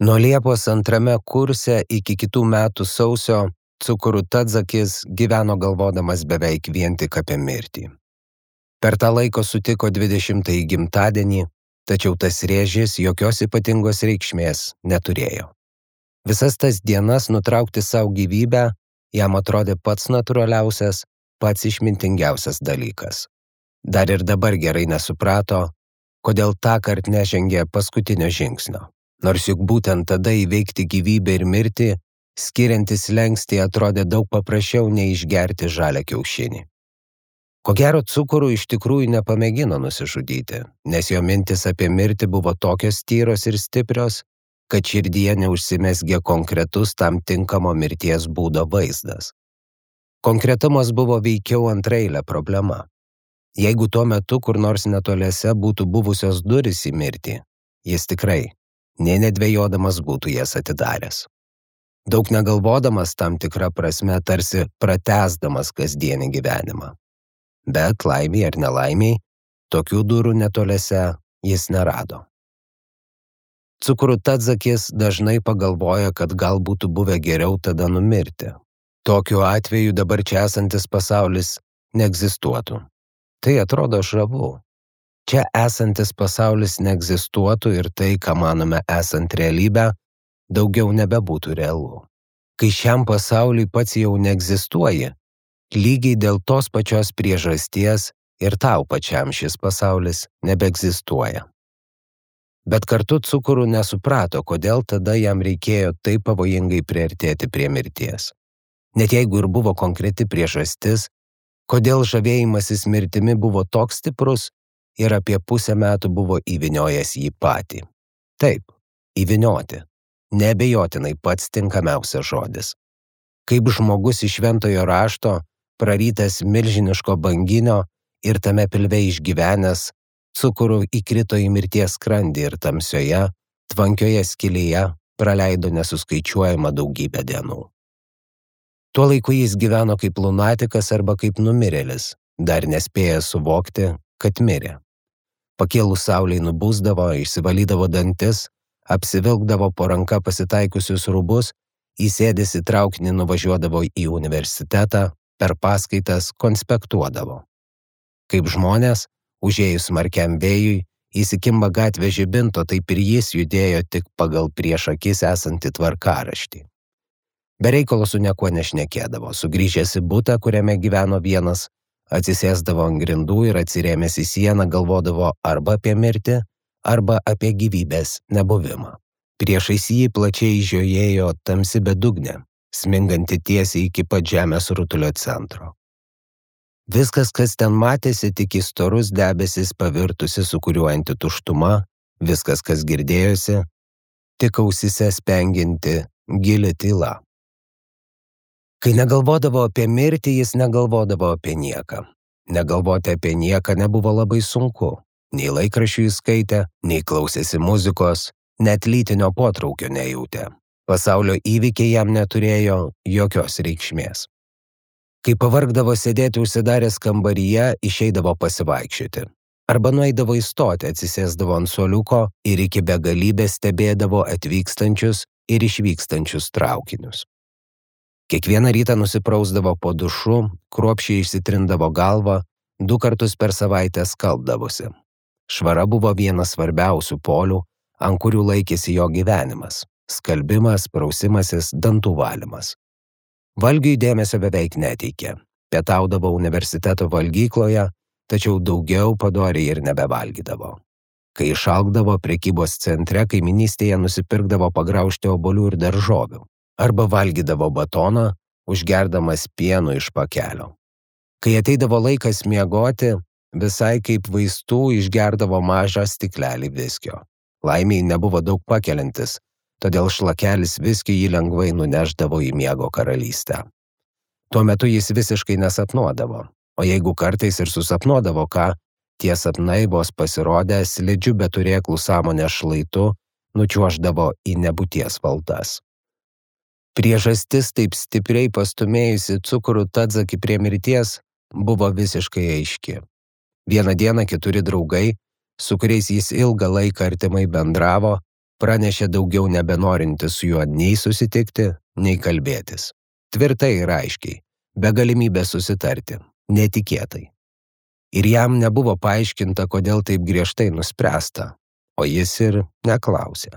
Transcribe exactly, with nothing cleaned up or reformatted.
Nuo Liepos antrame kurse iki kitų metų sausio Cukuru Tadzakis gyveno galvodamas beveik vien tik apie mirtį. Per tą laiką sutiko dvidešimtąjį gimtadienį, tačiau tas rėžis jokios ypatingos reikšmės neturėjo. Visas tas dienas nutraukti savo gyvybę jam atrodė pats natūraliausias, pats išmintingiausias dalykas. Dar ir dabar gerai nesuprato, kodėl tąkart nežengė paskutinio žingsnio. Nors juk būtent tada įveikti gyvybę ir mirtį, skiriantis slenkstį atrodė daug paprasčiau nei išgerti žalią kiaušinį. Ko gero Cukuru iš tikrųjų nepamėgino nusižudyti, nes jo mintis apie mirtį buvo tokios tyros ir stiprios, kad širdyje neužsimezgė konkretus tam tinkamo mirties būdo vaizdas. Konkretumas buvo veikiau antraeilė problema. Jeigu tuo metu kur nors netoliese būtų buvusios durys į mirtį, jis tikrai, nė nedvejodamas būtų jas atidaręs. Daug negalvodamas tam tikrą prasme tarsi pratęsdamas kasdienį gyvenimą. Bet laimiai ar nelaimiai, tokių durų netoliese jis nerado. Cukuru Tadzakis dažnai pagalvoja, kad gal būtų buvę geriau tada numirti. Tokiu atveju dabar čia esantis pasaulis neegzistuotų. Tai atrodo žavu. Čia esantis pasaulis neegzistuotų ir tai, ką manome esant realybę, daugiau nebebūtų realu. Kai šiam pasauliui pats jau neegzistuoji, lygiai dėl tos pačios priežasties ir tau pačiam šis pasaulis nebeegzistuoja. Bet kartu Cukuru nesuprato, kodėl tada jam reikėjo taip pavojingai priartėti prie mirties. Net jeigu ir buvo konkreti priežastis, kodėl žavėjimasis mirtimi buvo toks stiprus ir apie pusę metų buvo įvyniojęs jį patį. Taip, įvynioti. Neabejotinai pats tinkamiausias žodis. Kaip žmogus iš šventojo rašto, prarytas milžiniško banginio ir tame pilve išgyvenęs, Cukuru įkrito į mirties skrandį ir tamsioje, tvankioje skylėje praleido nesuskaičiuojamą daugybę dienų. Tuo laiku jis gyveno kaip lunatikas arba kaip numirėlis, dar nespėjęs suvokti, kad mirė. Pakėlus saulei nubusdavo, išsivalydavo dantis, apsivilkdavo po ranka pasitaikusius rūbus, įsėdęs į traukinį nuvažiuodavo į universitetą, per paskaitas konspektuodavo. Kaip žmonės, užėjus smarkiam vėjui, įsikimba gatvė žibinto, taip ir jis judėjo tik pagal prieš akis esantį tvarkaraštį. Be reikalo su niekuo nešnekėdavo, sugrįžęs į butą, kuriame gyveno vienas, atsisėsdavo ant grindų ir atsirėmęs į sieną galvodavo arba apie mirtį, arba apie gyvybės nebuvimą. Priešais jį plačiai žiojėjo tamsi bedugnė, sminganti tiesiai iki pat žemės rutulio centro. Viskas, kas ten matėsi, tik į storus debesis pavirtusi sukuriuojanti tuštuma, viskas, kas girdėjosi, tik ausyse spengianti gili tyla. Kai negalvodavo apie mirtį, jis negalvodavo apie nieką. Negalvoti apie nieką nebuvo labai sunku. Nei laikraščių jis skaitė, nei klausėsi muzikos, net lytinio potraukio nejautė. Pasaulio įvykiai jam neturėjo jokios reikšmės. Kai pavargdavo sėdėti užsidaręs kambaryje, išeidavo pasivaikščioti. Arba nueidavo į stotį, atsisėsdavo ant suoliuko ir iki begalybės stebėdavo atvykstančius ir išvykstančius traukinius. Kiekvieną rytą nusiprausdavo po dušu, kruopščiai išsitrindavo galvą, du kartus per savaitę skalbdavosi. Švara buvo vienas svarbiausių polių, ant kurių laikėsi jo gyvenimas – skalbimas, prausimasis, dantų valymas. Valgiui dėmesio beveik neteikė. Pietaudavo universiteto valgykloje, tačiau daugiau padoriai ir nebevalgydavo. Kai išalkdavo, prekybos centre kaimynystėje nusipirkdavo pagraužti obuolių ir daržovių. Arba valgydavo batoną, užgerdamas pienu iš pakelio. Kai ateidavo laikas miegoti, visai kaip vaistų išgerdavo mažą stiklelį viskio. Laimiai nebuvo daug pakeliantis, todėl šlakelis viskio jį lengvai nuneždavo į miego karalystę. Tuo metu jis visiškai nesapnuodavo, o jeigu kartais ir susapnuodavo ką, tie sapnai vos pasirodę slidžiu be turėklų sąmonės šlaitu nučiuoždavo į nebūties valdas. Priežastis taip stipriai pastumėjusi Cukuru Tadzakį prie mirties buvo visiškai aiški. Vieną dieną keturi draugai, su kuriais jis ilgą laiką artimai bendravo, pranešė daugiau nebenorintis su juo nei susitikti, nei kalbėtis. Tvirtai ir aiškiai, be galimybės susitarti, netikėtai. Ir jam nebuvo paaiškinta, kodėl taip griežtai nuspręsta, o jis ir neklausė.